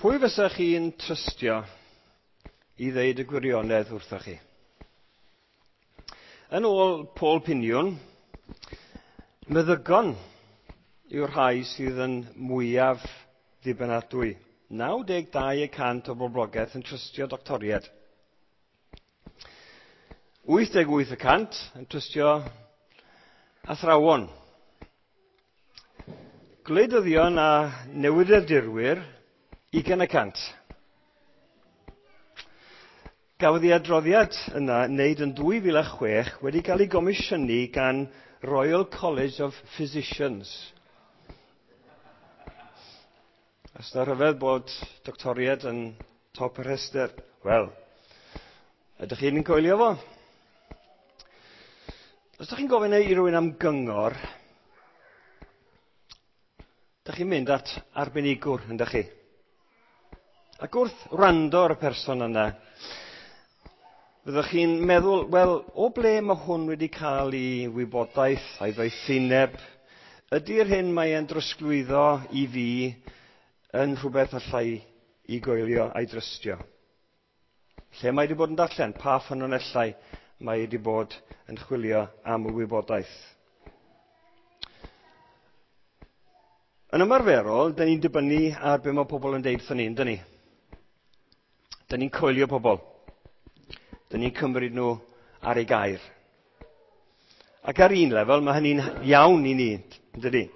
Pwy fysa chi'n trystio i ddeud y gwirionedd wrthoch chi? Yn ôl Paul Piniwn, meddygon yw'r rhai sydd yn mwyaf ddibynadwy. 92% o boblogaeth yn trystio doctoriaid. 88% yn trystio athrawon. Gwleidyddion a newyddiadurwyr, 20%. Gafodd ei adroddiad yna wneud yn 2006 wedi cael ei gomisiynu gan Royal College of Physicians. Os na rhyfedd bod doctoriaid yn top y rhestr, wel, ydych chi'n coelio fo? Os ydych chi'n gofyn i rywun am gyngor, ydych chi'n mynd at arbenigwr, yndych chi? Ac wrth wrando ar y person yna, fyddwch chi'n meddwl, wel, o ble mae hwn wedi cael ei wybodaeth a'i ddoethineb? Ydy'r hyn mae e'n drosglwyddo i fi yn rhywbeth allai i goelio a'i drystio? Lle mae wedi bod yn darllen? Pa ffynonellau mae wedi bod yn chwilio am y wybodaeth? Yn ymarferol, dyn ni'n dibynnu ar be mae pobl yn deud wrthon ni, yndyn ni? Dyn ni'n coelio pobl. Dyn ni'n cymryd nhw ar ei gair. Ac ar un lefel, mae hynny'n iawn i ni, yndydi?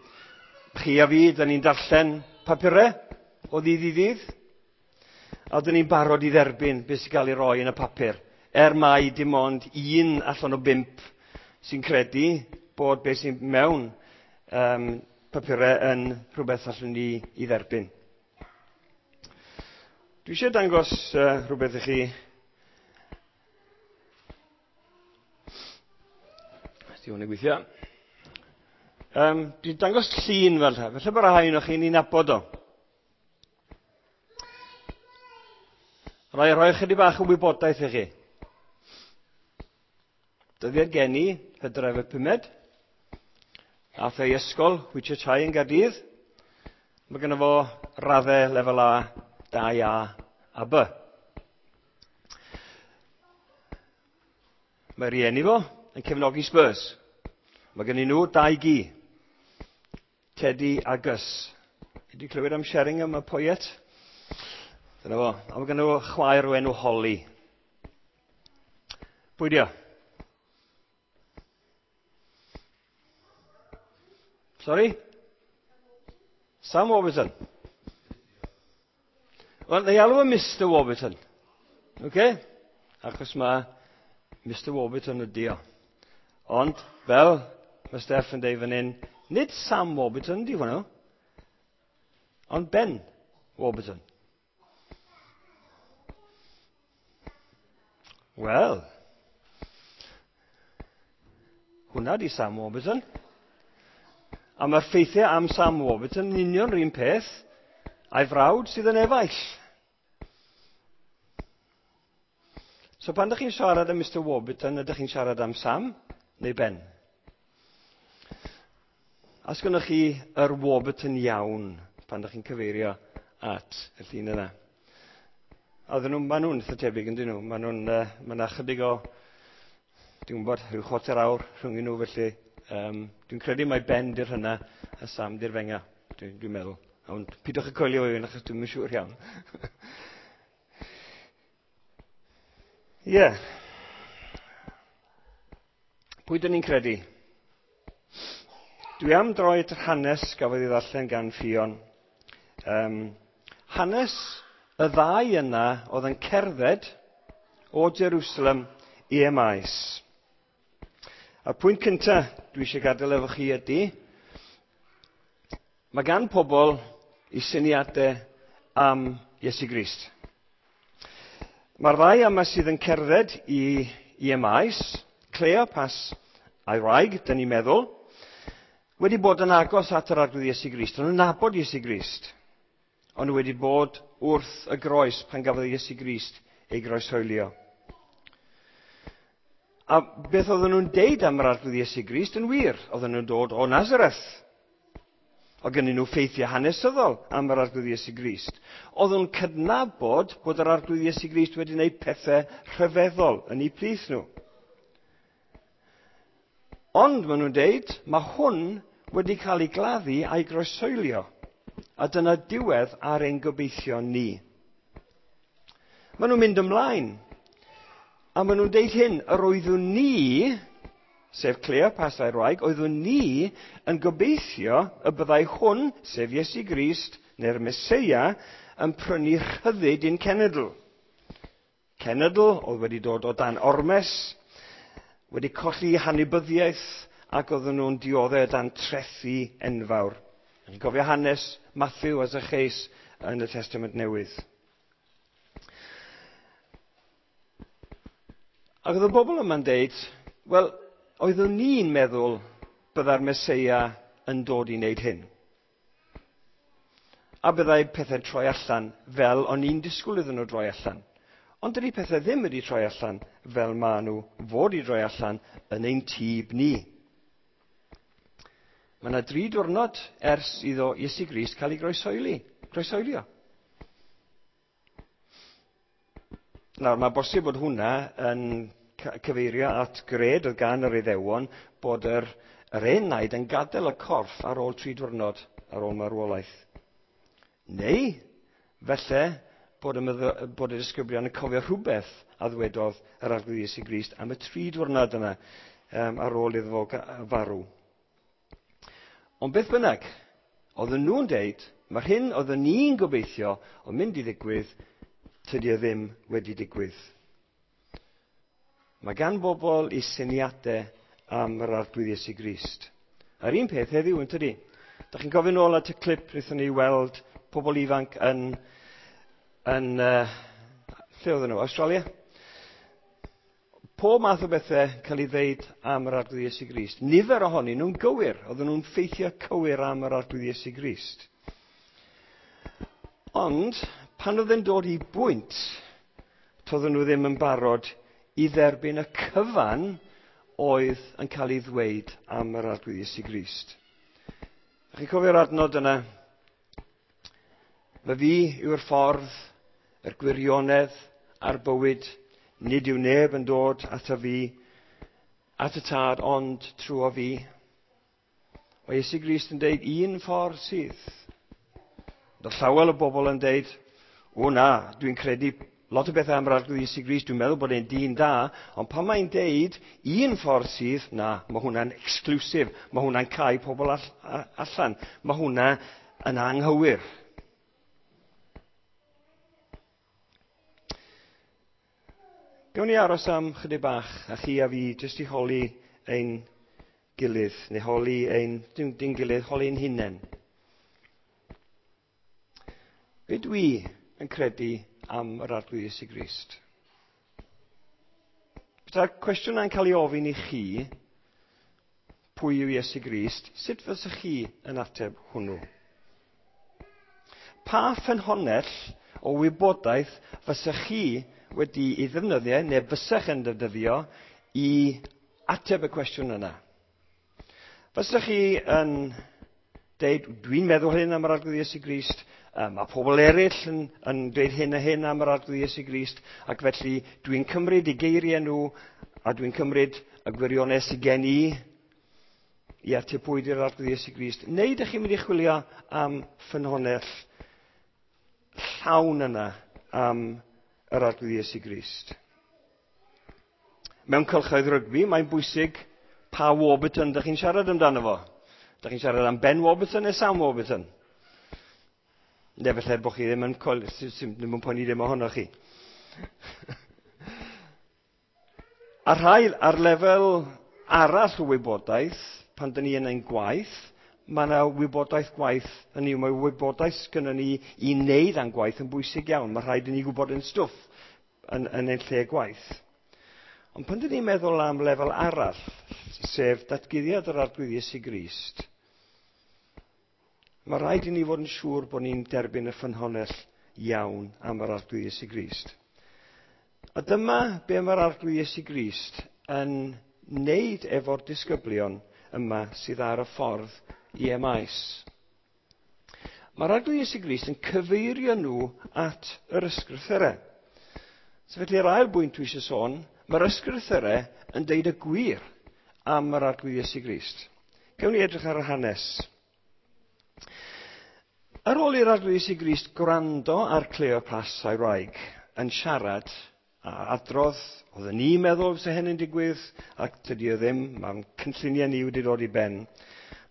Chi a fi, dyn ni'n darllen papurau o ddydd i ddydd, a dyn ni'n barod i dderbyn beth sy'n cael ei roi yn y papur, er mai dim ond 1 allan o 5 sy'n credu bod beth sy'n mewn papurau yn rhywbeth allwn ni i dderbyn. Dwi eisiau dangos rhywbeth i chi. Di hwn yn gweithio. Dwi'n dangos llun fel hyn. Felly bod rhai ohonoch chi'n ei nabod o. Rhaid rhoi chydig bach o wybodaeth i chi. Dyddiad geni, Hydref y 5. Ath ei ysgol, Whitchurch High yn Gaerdydd. Mae gynno fo raddau lefel A, 2A a B. Mae rieni fo yn cefnogi Spurs. Mae gennyn nhw 2 gi, Teddy a Gus. Wedi clywed am Sheringham y poet? Dyna fo. A mae gynno fo chwaer o enw Holly. Pwy di o? Sorry? Sam Warburton. Wel, neu alw yn Mr Warburton. Oce? Achos mae Mr Warburton ydi o. Ond, fel mae Steff yn deud fan hyn, nid Sam Warburton ydi hwnnw, ond Ben Warburton. Wel, hwnna di Sam Warburton. A mae'r ffeithiau am Sam Warburton yn union yr un peth a'i frawd sydd yn efaill. So pan ydych chi'n siarad am Mr Warburton, ydych chi'n siarad am Sam neu Ben? A sgynnoch chi yr Warburton iawn pan ydych chi'n cyfeirio at y llun yna? A ddyn nhw, maen nhw'n eitha tebyg, yn dyn nhw. Maen nhw'n, mae yna chydig o, dwi'n gwybod, rhyw chwarter awr rhwng nhw, felly dwi'n credu mai Ben di'r hynna a Sam di'r fenga, dwi'n meddwl. Ond pidwch y coelio fi, achos dwi'm yn siŵr iawn. Ie. Pwy dyn ni'n credu? Dwi am droi at yr hanes gafodd ei ddarllen gan Ffion. Hanes y ddau yna oedd yn cerdded o Jerusalem i Emmaus. A'r pwynt cyntaf dwi eisiau gadael efo chi ydy, mae gan pobl i syniadau am Iesu Grist. Mae'r ddau yma sydd yn cerdded i Emmaus, Cleopas a'i wraig, dyn ni'n meddwl, wedi bod yn agos at yr Arglwydd Iesu Grist. O'n nhw'n nabod Iesu Grist. O'n nhw wedi bod wrth y groes pan gafodd Iesu Grist ei groeshoelio. A beth oedden nhw'n deud am yr Arglwydd Iesu Grist yn wir? Oedden nhw'n dod o Nazareth. Oedd gennyn nhw ffeithiau hanesyddol am yr Arglwydd Iesu Grist. Oedd nhw'n cydnabod bod yr Arglwydd Iesu Grist wedi gwneud pethau rhyfeddol yn eu plith nhw. Ond maen nhw'n deud, mae hwn wedi cael ei gladdu a'i groeshoelio. A dyna diwedd ar ein gobeithion ni. Maen nhw'n mynd ymlaen. A maen nhw'n deud hyn, yr oeddwn ni, sef Cleopas a'i wraig, oeddwn ni yn gobeithio y byddai hwn, sef Iesu Grist, neu'r Meseia, yn prynu rhyddid i'n cenedl. Cenedl oedd wedi dod o dan ormes, wedi colli hanibyddiaeth, ac oedden nhw'n dioddef dan trethi enfawr. Chi'n cofio hanes Matthew a Zacchaeus yn y Testament Newydd. Ac oedd y bobl yma'n deud, wel, oeddwn ni'n meddwl byddai'r Meseia yn dod i wneud hyn. A byddai pethau'n troi allan fel o'n i'n disgwyl iddyn nhw droi allan. Ond dydy pethau ddim wedi troi allan fel maen nhw fod i droi allan yn ein tyb ni. Mae yna 3 diwrnod ers iddo Iesu Grist cael ei groeshoelio. Nawr, mae bosib bod hwnna yn cyfeirio at gred oedd gan yr Iddewon bod yr enaid yn gadael y corff ar ôl 3 diwrnod ar ôl marwolaeth. Neu, felly, bod y disgyblion yn cofio rhywbeth a ddwedodd yr Arglwydd Iesu Grist am y 3 diwrnod yna ar ôl iddo fo farw. Ond beth bynnag, oedden nhw'n deud, mae'r hyn oedden ni'n gobeithio o'n mynd i ddigwydd, tydi o ddim wedi digwydd. Mae gan bobl eu syniadau am yr Arglwydd Iesu Grist. A'r un peth heddiw yn tydi. Da chi'n cofio nôl at y clip wnaethon ni weld pobl ifanc yn lle oedden nhw? Australia? Pob math o bethau cael ei ddeud am yr Arglwydd Iesu Grist. Nifer ohonyn nhw'n gywir. Oedden nhw'n ffeithiau cywir am yr Arglwydd Iesu Grist. Ond, pan oedd yn dod i bwynt, toedden nhw ddim yn barod i dderbyn y cyfan oedd yn cael ei ddweud am yr Arglwydd Iesu Grist. Chi'n cofio'r adnod yna? Mae fi yw'r ffordd, yr gwirionedd a'r bywyd. Nid yw neb yn dod ato fi, at y tad, ond trwy fi. Mae Iesu Grist yn deud un ffordd sydd. Ond llawer o bobl yn deud, o na, dwi'n credu lot o bethau am yr Arglwydd Iesu Grist, dwi'n meddwl bod e'n dyn da, ond pan mae'n deud un ffordd sydd, na, mae hwnna'n exclusive, mae hwnna'n cau pobl allan, mae hwnna yn anghywir. Gawn ni aros am chydig bach, a chi a fi, jyst i holi ein gilydd, neu holi ein, dim gilydd, holi ein hunain. Be dwi yn credu am yr Arglwydd Iesu Grist? Petai'r cwestiwn yna'n cael ei ofyn i chi, pwy yw Iesu Grist, sut fysech chi yn ateb hwnnw? Pa ffynhonnell o wybodaeth fysech chi wedi ei ddefnyddio, neu fysech yn defnyddio, i ateb y cwestiwn yna? Fysech chi yn deud, dwi'n meddwl hyn am yr Arglwydd Iesu Grist, mae pobl eraill yn dweud hyn a hyn am yr Arglwydd Iesu Grist, ac felly dwi'n cymryd eu geiriau nhw, a dwi'n cymryd y gwirionedd sydd gen i ateb pwy ydy'r Arglwydd Iesu Grist. Neu ydych chi'n mynd i chwilio am ffynhonnell llawn yna am yr Arglwydd Iesu Grist? Mewn cylchoedd rygbi, mae'n bwysig pa Warburton ydych chi'n siarad amdano fo. Ydych chi'n siarad am Ben Warburton neu Sam Warburton? Neu falle bod chi ddim yn poeni ddim ohonoch chi. A rhai ar lefel arall o wybodaeth, pan dyn ni yn ein gwaith, mae yna wybodaeth gwaith, hynny yw, mae wybodaeth gynnon ni i wneud a'n gwaith yn bwysig iawn. Mae rhaid i ni gwybod yn stwff yn ein lle gwaith. Ond pan dyn ni'n meddwl am lefel arall, sef datguddiad yr Arglwydd Iesu Grist, mae rhaid i ni fod yn siŵr bod ni'n derbyn y ffynhonnell iawn am yr Arglwydd Iesu Grist. A dyma be mae'r Arglwydd Iesu Grist yn wneud efo'r disgyblion yma sydd ar y ffordd i Emmaus. Mae'r Arglwydd Iesu Grist yn cyfeirio nhw at yr ysgrythurau. So felly yr ail bwynt dwi eisiau sôn, mae'r ysgrythurau yn deud y gwir am yr Arglwydd Iesu Grist. Gewn ni edrych ar y hanes. Ar ôl i'r Arglwydd Iesu Grist gwrando ar Cleopas a'i wraig yn siarad a adrodd, oedden ni'n meddwl fysa hyn yn digwydd, ac tydi o ddim, mae'n cynlluniau ni wedi dod i ben.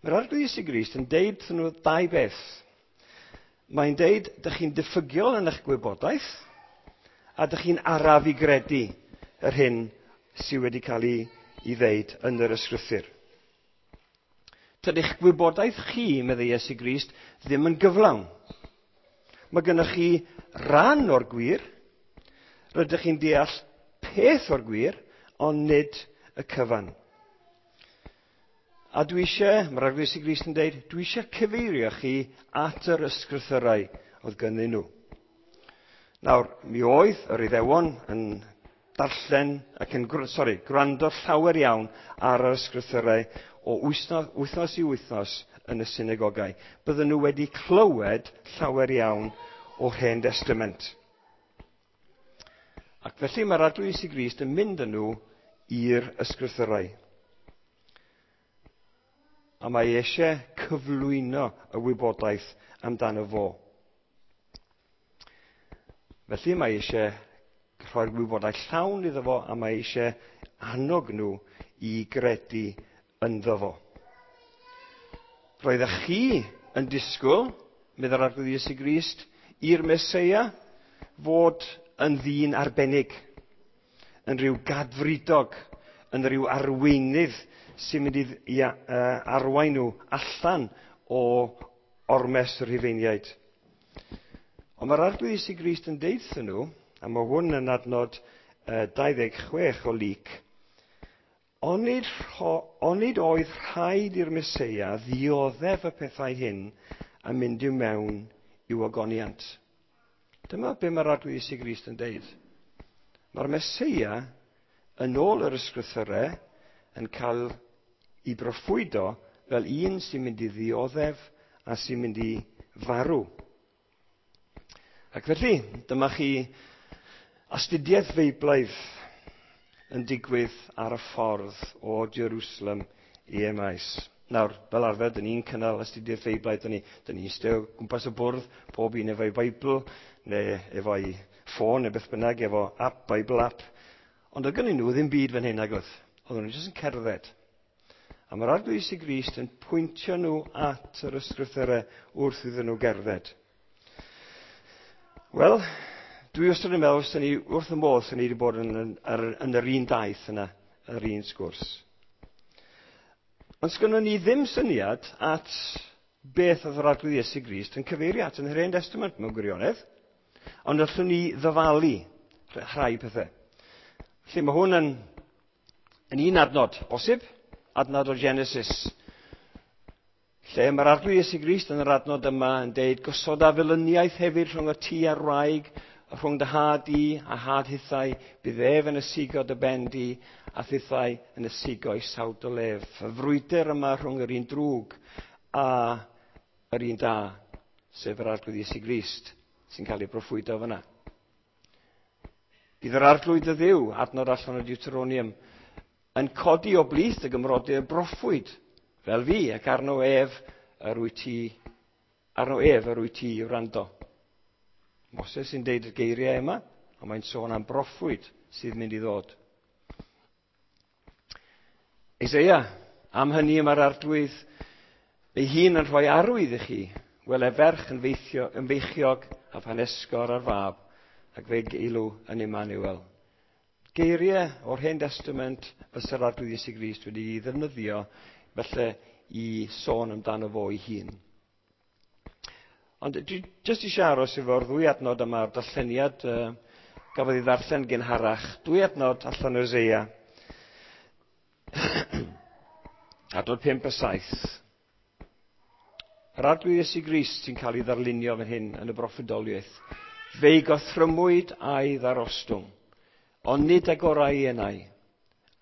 Mae'r Arglwydd Iesu Grist yn deud wrthyn nhw dau beth. Mae'n deud, dych chi'n diffygiol yn eich gwybodaeth, a dych chi'n araf i gredu yr hyn sydd wedi cael ei ddeud yn yr ysgrythur. Tydych gwybodaeth chi, meddai Iesu Grist, ddim yn gyflawn. Mae gennych chi ran o'r gwir, rydych chi'n deall peth o'r gwir, ond nid y cyfan. A dwi eisiau, mae'r Arglwydd Iesu Grist yn deud, dwi eisiau cyfeirio chi at yr ysgrythyrau oedd gynnyn nhw. Nawr, mi oedd yr Iddewon yn darllen ac yn gwrando llawer iawn ar yr ysgrythyrau o wythnos i wythnos yn y synagogau. Bydden nhw wedi clywed llawer iawn o'r Hen Destament. Ac felly mae'r Arglwydd Iesu Grist yn mynd â nhw i'r ysgrythyrau. A mae eisiau cyflwyno y wybodaeth amdano fo. Felly mae eisiau rhoi'r wybodaeth llawn iddo fo a mae eisiau annog nhw i gredu ynddo fo. Roeddech chi yn disgwyl, meddai'r Arglwydd Iesu Grist, i'r Meseia fod yn ddyn arbennig, yn rhyw gadfridog, yn rhyw arweinydd sy'n mynd i arwain nhw allan o ormes y Rhufeiniaid. Ond mae'r Arglwydd Iesu Grist yn deutha nhw, a mae hwn yn adnod 26 o Luc, onid oedd rhaid i'r Meseia ddioddef y pethau hyn a mynd i'w mewn i'w ogoniant. Dyma be mae'r Arglwydd Iesu Grist yn deud. Mae'r Meseia, yn ôl yr ysgrythyrau, yn cael ei broffwydo fel un sy'n mynd i ddioddef a sy'n mynd i farw. Ac felly, dyma chi astudiaeth Feiblaidd yn digwydd ar y ffordd o Jerusalem i Emmaus. Nawr, fel arfer, dyn ni'n cynnal astudiaeth Feiblaidd, dyn ni'n eistedd o gwmpas y bwrdd, pob un efo'i Beibl, neu efo'i ffôn, neu beth bynnag, efo app, Bible app. Ond oedd gennyn nhw ddim byd fan hyn, nag oedd. Oedden nhw jyst yn cerdded. A mae'r Arglwydd Iesu Grist yn pwyntio nhw at yr ysgrythurau wrth iddyn nhw gerdded. Wel, dwi wastad yn meddwl, ni wrth y modd, ni wedi bod yn yr un daith yna, yr un sgwrs. Ond sgynnon ni ddim syniad at beth oedd yr Arglwydd Iesu Grist yn cyfeirio at yn yr Hen Testament mewn gwirionedd, ond allwn ni ddyfalu rhai pethau. Felly mae hwn yn un adnod bosib, adnod o Genesis, lle mae'r Arglwydd Iesu Grist yn yr adnod yma yn deud, gosoda felyniaeth hefyd rhwng y tŷ a'r wraig, rhwng dy had di a had hithau, bydd ef yn ysigo dy ben di, a thithau yn ysigo i sawd o lef. Y frwydr yma rhwng yr un drwg a yr un da, sef yr Arglwydd Iesu Grist, sy'n cael ei broffwydo fyna. Bydd yr Arglwydd y Dduw, adnod allan o Deuteronomium, yn codi o blith y gymrodyr broffwyd, fel fi, ac arno ef yr wyt ti, arno ef yr wyt ti i wrando. Moses sy'n deud y geiriau yma, ond mae'n sôn am broffwyd sydd mynd i ddod. Eseia, am hynny mae'r Arglwydd ei hun yn rhoi arwydd i chi, wele ferch yn feichiog a phan esgor ar fab, ac fe geilw yn Emmanuel. Geiriau o'r Hen Testament fysa'r Arglwydd Iesu Grist wedi'i ddefnyddio felly i sôn amdano fo ei hun. Ond dwi jyst eisiau aros efo'r ddwy adnod yma o'r darlleniad gafodd ei ddarllen gynharach. Dwy adnod allan o Eseia. Adnod 5 a 7. Yr Arglwydd Iesu Grist sy'n cael ei ddarlunio fan hyn yn y broffwydoliaeth. Fe'i gothrymwyd a'i ddarostwng, ond nid agorau ei enau.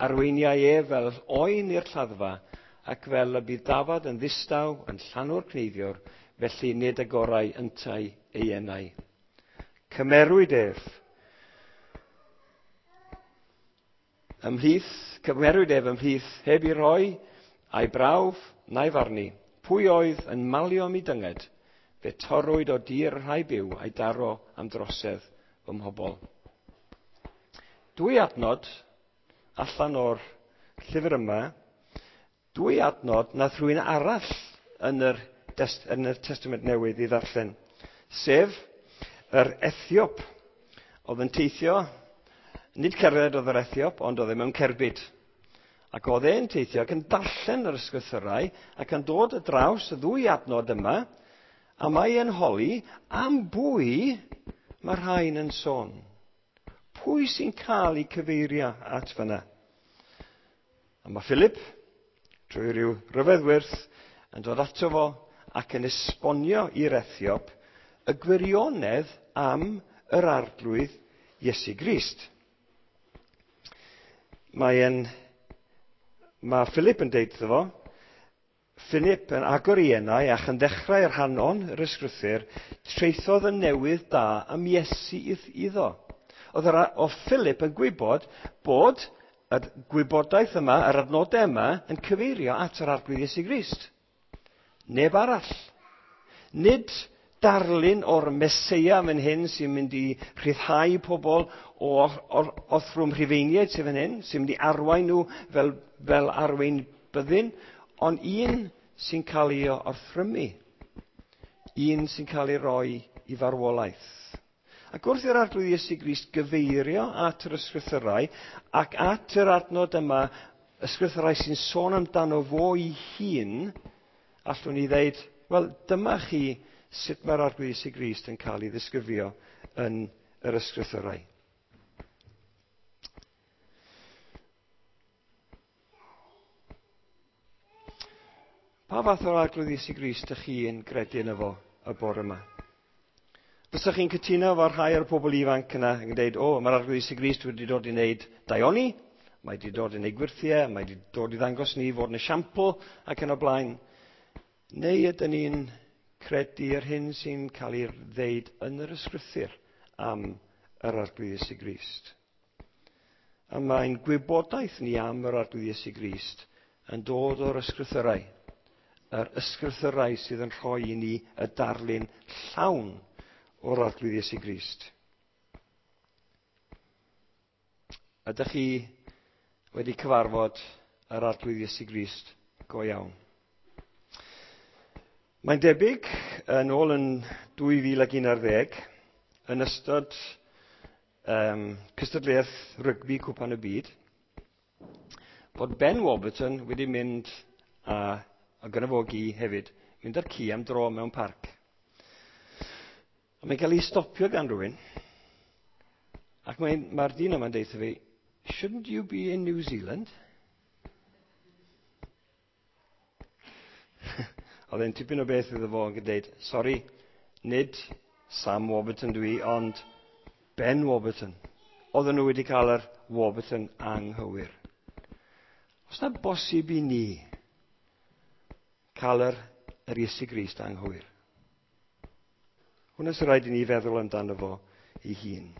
Arweiniai ef fel oen i'r lladdfa, ac fel y bydd dafad yn ddistaw yn llanw'r cneifiwr, Felly nid agorau yntau ei enau. Cymerwyd ef. Ymhlith, cymerwyd ef ymhlith heb i roi a'i brawf na'i farnu. Pwy oedd yn malio am ei dynged? Fe torrwyd o dir y rhai byw a'i daro am drosedd fy mhobol. Dwy adnod allan o'r llyfr yma, dwy adnod nath rhywun arall yn yr Testament Newydd i ddarllen, sef yr Ethiop oedd yn teithio, nid cerdded oedd yr Ethiop, ond oedd e mewn cerbyd. Ac oedd e'n teithio ac yn darllen yr ysgrythyrau ac yn dod y draws y ddwy adnod yma, a mae e'n holi am bwy mae rhain yn sôn. Pwy sy'n cael ei cyfeirio at fyna? A mae Philip, drwy ryw ryfedd wyrth, yn dod ato fo ac yn esbonio i'r Ethiop y gwirionedd am yr Arglwydd Iesu Grist. Mae Philip yn deud iddo fo, Philip yn agor ei enau ac yn ddechrau rhanon yr ysgrythur, traethodd y newydd da am Iesu iddo. Oedd Philip yn gwybod bod y gwybodaeth yma, yr adnodau yma, yn cyfeirio at yr Arglwydd Iesu Grist. Neb arall. Nid darlun o'r Meseia fan hyn sy'n mynd i rhyddhau pobl o'r orthrwm Rhufeiniaid sydd fan hyn, sy'n mynd i arwain nhw fel arwain byddin, ond un sy'n cael ei orthrymu. Un sy'n cael ei roi i farwolaeth. Ac wrth i'r Arglwydd Iesu Grist gyfeirio at yr ysgrythyrau ac at yr adnod yma, ysgrythyrau sy'n sôn amdano fo ei hun, allwn ni ddeud, wel, dyma chi sut mae'r Arglwydd Iesu Grist yn cael ei ddisgrifio yn yr ysgrythyrau. Pa fath o'r Arglwydd Iesu Grist ydych chi'n gredu yno fo y bore yma? Fysa'ch chi'n cytuno efo rhai o'r pobl ifanc yna yn dweud, o, mae'r Arglwydd Iesu Grist wedi dod i wneud daioni, mae wedi dod i wneud gwyrthiau, mae wedi dod i ddangos ni fod yn esiampl ac yn y blaen. Neu ydyn ni'n credu yr hyn sy'n cael ei ddeud yn yr ysgrythur am yr Arglwydd Iesu Grist? A mae'n gwybodaeth ni am yr Arglwydd Iesu Grist yn dod o'r ysgrythyrau. Yr ysgrythyrau sydd yn rhoi i ni y darlun llawn o'r Arglwydd Iesu Grist. Ydych chi wedi cyfarfod yr Arglwydd Iesu Grist go iawn? Mae'n debyg, yn ôl yn 2011, yn ystod cystadleuaeth rygbi Cwpan y Byd, bod Ben Warburton wedi mynd, a gyda fo gi hefyd, mynd â'r ci am dro mewn parc. A mae'n cael ei stopio gan rhywun, ac mae'r dyn yma'n deud fi, "Shouldn't you be in New Zealand?" Oedd e'n tipyn o beth iddo fo yn dweud, "Sori, nid Sam Warburton dwi, ond Ben Warburton." Oedden nhw wedi cael yr Warburton anghywir. Oes 'na bosib i ni cael yr Iesu Grist anghywir? Hwna sy'n rhaid i ni feddwl amdano fo ei hun.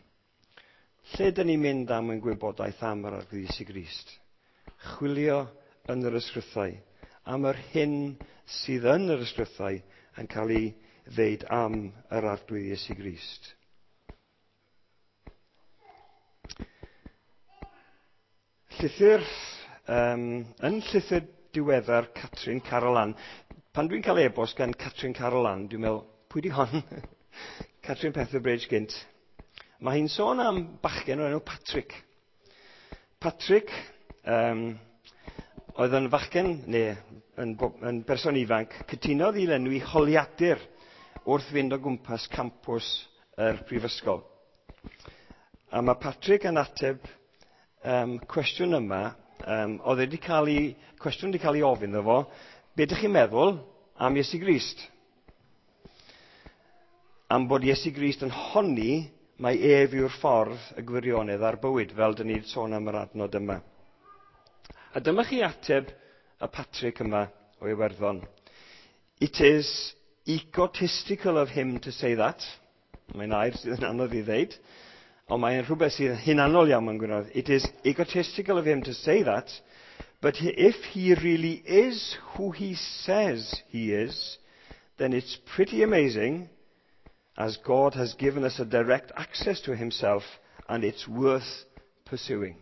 Lle dyn ni'n mynd am yn gwybodaeth am yr Arglwydd Iesu Grist? Chwilio yn yr ysgrythau, am yr hyn sydd yn yr ysgrythau yn cael ei ddeud am yr Arglwydd Iesu Grist. Yn llythyr diweddar Catrin Carolan, pan dwi'n cael e-bost gan Catrin Carolan, dwi'n meddwl, pwy di hon? Catrin Petherbridge gynt. Mae hi'n sôn am bachgen o'r enw Patrick. Patrick oedd yn fachgen, neu yn berson ifanc, cytunodd i lenwi holiadur wrth fynd o gwmpas campws yr prifysgol. A mae Patrick yn ateb cwestiwn yma, oedd wedi cael ei, cwestiwn wedi cael ei ofyn iddo fo, be ydych chi'n meddwl am Iesu Grist? Am bod Iesu Grist yn honni mai ef yw'r ffordd, y gwirionedd a'r bywyd, fel dyn ni'n sôn am yr adnod yma. A dyma chi ateb y Patrick yma o Iwerddon. "It is egotistical of him to say that. Mae'n air sydd yn anodd i ddeud, ond mae'n rhywbeth sydd yn hunanol iawn mewn gwirionedd. It is egotistical of him to say that, but if he really is who he says he is, then it's pretty amazing, as God has given us a direct access to himself, and it's worth pursuing.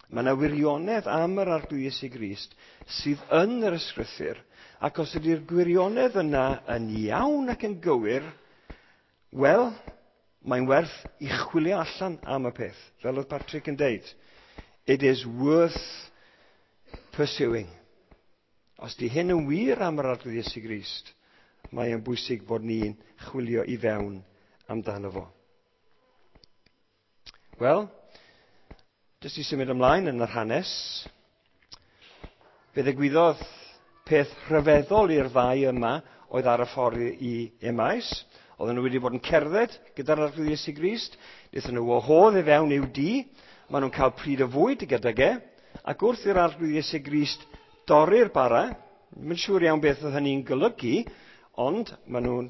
Mae yna wirionedd am yr Arglwydd Iesu Grist sydd yn yr ysgrythur, ac os ydy'r gwirionedd yna yn iawn ac yn gywir, wel, mae'n werth i chwilio allan am y peth. Fel oedd Patrick yn deud, it is worth pursuing. Os di hyn yn wir am yr Arglwydd Iesu Grist, mae'n bwysig bod ni'n chwilio i fewn amdano fo. Wel, jyst i symud ymlaen yn yr hanes, fe ddigwyddodd peth rhyfeddol i'r ddau yma oedd ar y ffordd i Emmaus. Oedden nhw wedi bod yn cerdded gyda'r Arglwydd Iesu Grist. Wnaethon nhw wahodd i fewn i'w dŷ. Maen nhw'n cael pryd o fwyd gydag e. Ac wrth i'r Arglwydd Iesu Grist dorri'r bara, ddim yn siŵr iawn beth oedd hynny'n golygu, ond maen nhw'n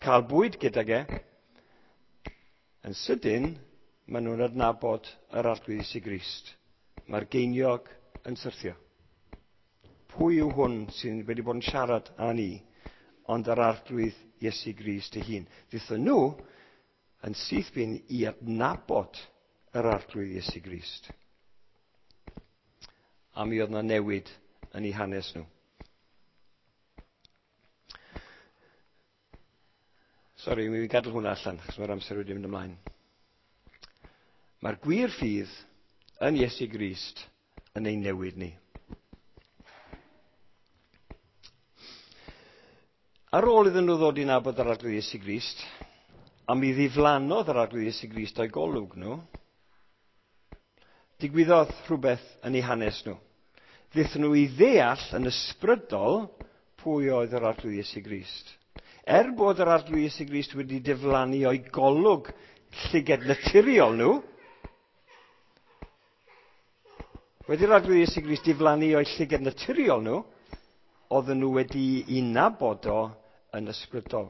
cael bwyd gydag e. Yn sydyn, maen nhw'n adnabod yr Arglwydd Iesu Grist. Mae'r geiniog yn syrthio. Pwy yw hwn sydd wedi bod yn siarad â ni, ond yr Arglwydd Iesu Grist ei hun? Ddaethon nhw yn syth bin i adnabod yr Arglwydd Iesu Grist. A mi oedd yna newid yn eu hanes nhw. Sori, mi gadael hwnna allan, achos mae'r amser wedi mynd ymlaen. Mae'r gwir ffydd yn Iesu Grist yn ein newid ni. Ar ôl iddyn nhw ddod i nabod yr Arglwydd Iesu Grist, a mi ddiflannodd yr Arglwydd Iesu Grist o'i golwg nhw, digwyddodd rhywbeth yn eu hanes nhw. Ddaethon nhw i ddeall yn ysbrydol pwy oedd yr Arglwydd Iesu Grist. Er bod yr Arglwydd Iesu Grist wedi diflannu o'i golwg llyged naturiol nhw, wedi'r Arglwydd Iesu Grist diflannu o'i llyged naturiol nhw, oedden nhw wedi i nabod o yn ysbrydol.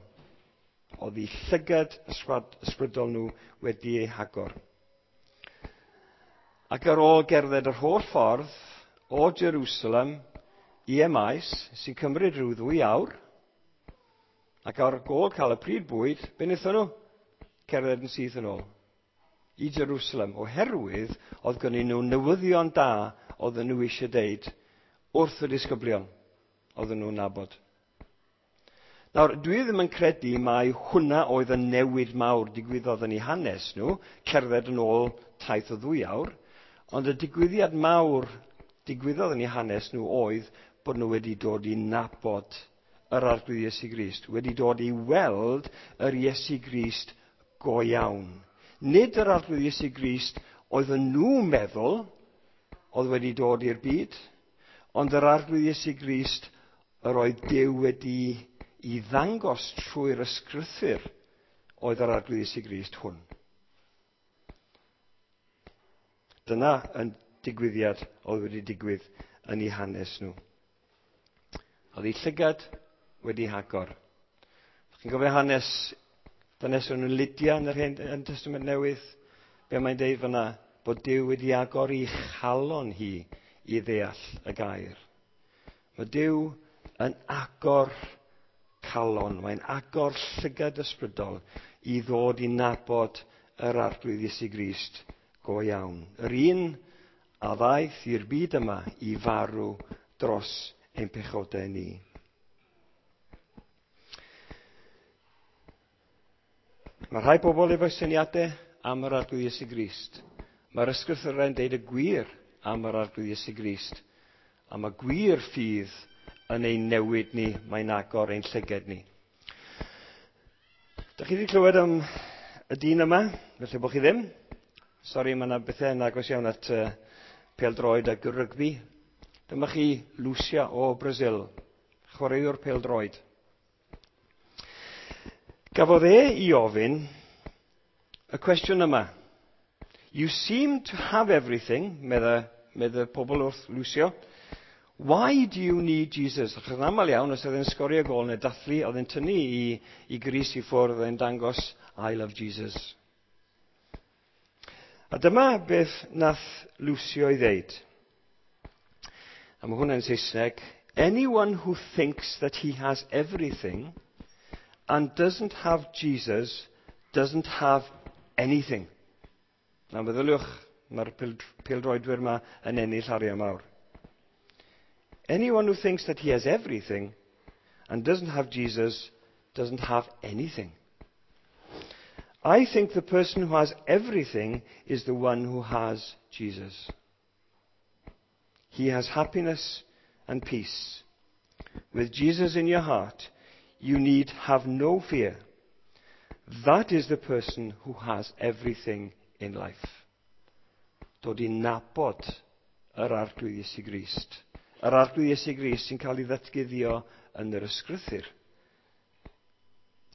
Oedd eu llygad ysbrydol nhw wedi ei hagor. Ac ar ôl gerdded yr holl ffordd o Jerusalem i Emmaus, sy'n cymryd rhyw 2 awr, ac ar ôl cael y pryd bwyd, be wnaethon nhw? Cerdded yn syth yn ôl i Jerusalem, oherwydd oedd gennyn nhw newyddion da oedden nhw eisiau deud wrth y disgyblion oedden nhw'n nabod. Nawr, dwi ddim yn credu mai hwnna oedd y newid mawr digwyddodd yn eu hanes nhw, cerdded yn ôl taith o 2 awr, ond y digwyddiad mawr digwyddodd yn eu hanes nhw oedd bod nhw wedi dod i nabod yr Arglwydd Iesu Grist, wedi dod i weld yr Iesu Grist go iawn. Nid yr Arglwydd Iesu Grist oedd nhw'n meddwl oedd wedi dod i'r byd, ond yr Arglwydd Iesu Grist yr oedd Duw wedi i ddangos trwy'r ysgrythur oedd yr Arglwydd Iesu Grist hwn. Dyna yn digwyddiad oedd wedi digwydd yn eu hanes nhw. Oedd eu llygad wedi hagor. Chi'n gofio hanes dynes o'n Lydia yn yr Hen Testament Newydd? Be mae'n deud fyna? Bod Duw wedi agor ei chalon hi i ddeall y gair. Mae Duw yn agor calon, mae'n agor llygad ysbrydol i ddod i nabod yr Arglwydd Iesu Grist go iawn. Yr un a ddaeth i'r byd yma i farw dros ein pechodau ni. Mae rhai bobl efo syniadau am yr Arglwydd Iesu Grist. Mae'r ysgrythurau'n deud y gwir am yr Arglwydd Iesu Grist. A mae gwir ffydd yn ein newid ni, mae'n agor ein llyged ni. Dych chi wedi clywed am y dyn yma? Felly bod chi ddim. Sori, mae yna bethau yn agos iawn at pêl-droed ac rygbi. Dyma chi Lucia o Brazil, chwaraewr pêl-droed. Gafodd e i ofyn y cwestiwn yma. You seem to have everything, medde pobl wrth Lucio. Why do you need Jesus? Achos yn aml iawn, os oedd e'n sgorio gôl neu dathlu, oedd e'n tynnu i grys i ffwrdd, oedd e'n dangos, "I love Jesus." A dyma beth nath Lucio i ddeud. A mae hwnna'n Saesneg. "Anyone who thinks that he has everything and doesn't have Jesus doesn't have anything." Na meddyliwch, mae'r pêl-droedwyr yma yn ennill arian mawr. "Anyone who thinks that he has everything and doesn't have Jesus doesn't have anything. I think the person who has everything is the one who has Jesus. He has happiness and peace. With Jesus in your heart, you need have no fear. That is the person who has everything in life." Dod i nabod yr Arglwydd Iesu Grist. Yr Arglwydd Iesu Grist sy'n cael ei ddatguddio yn yr Ysgrythur.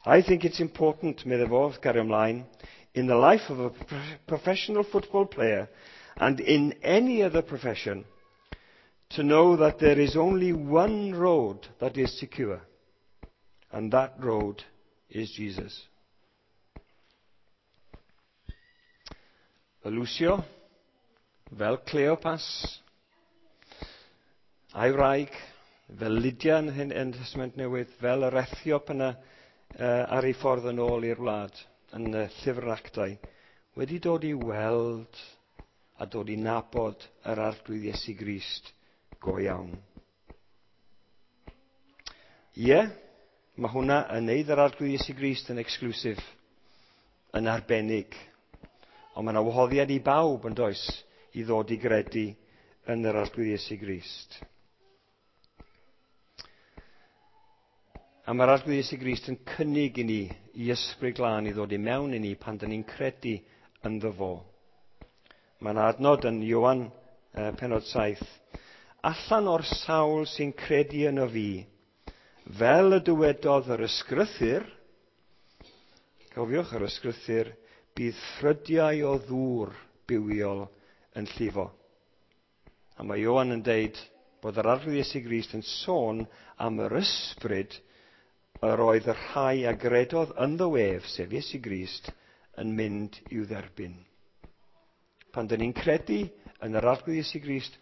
"I think it's important," medde fo, gario ymlaen, "in the life of a professional football player and in any other profession to know that there is only one road that is secure, and that road is Jesus." Lucio, fel Cleopas, a'i wraig, fel Lydia yn Testament Newydd, fel yr Ethiop yna ar ei ffordd yn ôl i'r wlad yn y llyfr Actau, wedi dod i weld a dod i nabod yr Arglwydd Iesu Grist go iawn. Ie, yeah, mae hwnna yn neud yr Arglwydd Iesu Grist yn exclusive, yn arbennig. Ond mae yna wahoddiad i bawb yn does i ddod i gredu yn yr Arglwydd Iesu Grist. A mae'r Arglwydd Iesu Grist yn cynnig i ni i Ysbryd Glân i ddod i mewn i ni pan dyn ni'n credu ynddo fo. Mae'n adnod yn Ioan penod 7. "Allan o'r sawl sy'n credu yno fi, fel y dywedodd yr Ysgrythur," cofiwch yr Ysgrythur, "bydd ffrydiau o ddŵr bywiol yn llifo." A mae Ioan yn deud bod yr Arglwydd Iesu Grist yn sôn am yr ysbryd yr oedd y rhai a gredodd ynddo ef, sef Iesu Grist, yn mynd i'w dderbyn. Pan dyn ni'n credu yn yr Arglwydd Iesu Grist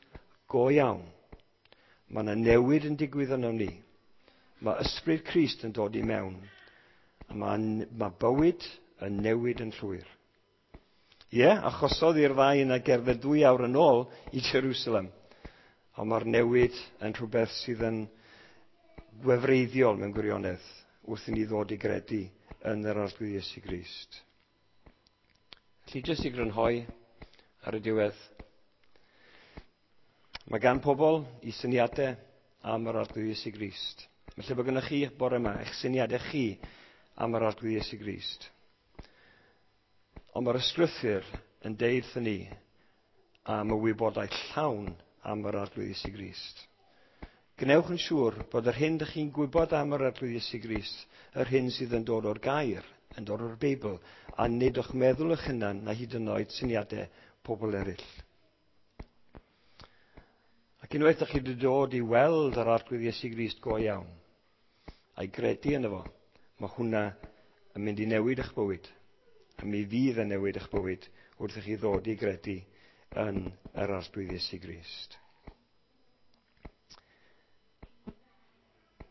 go iawn, mae yna newid yn digwydd yno ni. Mae ysbryd Crist yn dod i mewn. A mae bywyd yn newid yn llwyr. Ie, yeah, achosodd i'r ddau yna gerdded 2 awr yn ôl i Jerusalem. Ond mae'r newid yn rhywbeth sydd yn gwefreiddiol mewn gwirionedd wrth i ni ddod i gredu yn yr Arglwydd Iesu Grist. Felly, jyst i grynhoi ar y diwedd, mae gan pobl i syniadau am yr Arglwydd Iesu Grist. Felly bod gennych chi bore yma, eich syniadau chi am yr Arglwydd Iesu Grist. Ond mae'r Ysgrythur yn deud wrthyn ni am y wybodaeth llawn am yr Arglwydd Iesu Grist. Gwnewch yn siŵr bod yr hyn dych chi'n gwybod am yr Arglwydd Iesu Grist, yr hyn sydd yn dod o'r gair, yn dod o'r Beibl, a nid o'ch meddwl eich hunan na hyd yn oed syniadau pobl eraill. Ac unwaith ydych chi wedi dod i weld yr Arglwydd Iesu Grist go iawn, a'i gredu yno fo, mae hwnna yn mynd i newid eich bywyd. A mi fydd yn newid eich bywyd wrth i chi ddod i gredu yn yr Arglwydd Iesu Grist.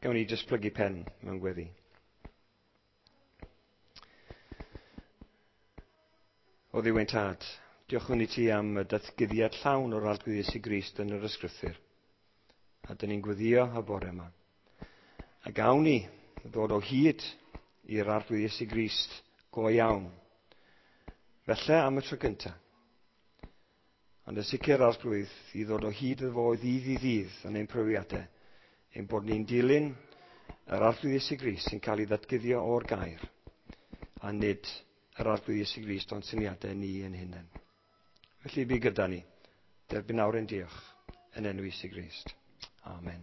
Gawn ni jyst plygu pen mewn gweddi. O Dduw ein Tad, diolchwn i ti am y datguddiad llawn o'r Arglwydd Iesu Grist yn yr Ysgrythur. A dyn ni'n gweddio y bore yma. A gawn ni ddod o hyd i'r Arglwydd Iesu Grist go iawn. Felly am y tro gyntaf. Ond yn sicr Arglwydd i ddod o hyd iddo fo ddydd i ddydd yn ein profiadau. Ein bod ni'n dilyn yr Arglwydd Iesu Grist sy'n cael ei ddatguddio o'r gair, a nid yr Arglwydd Iesu Grist o'n syniadau ni yn hunain. Felly bu gyda ni, derbyn nawr ein diolch yn enw Iesu Grist. Amen.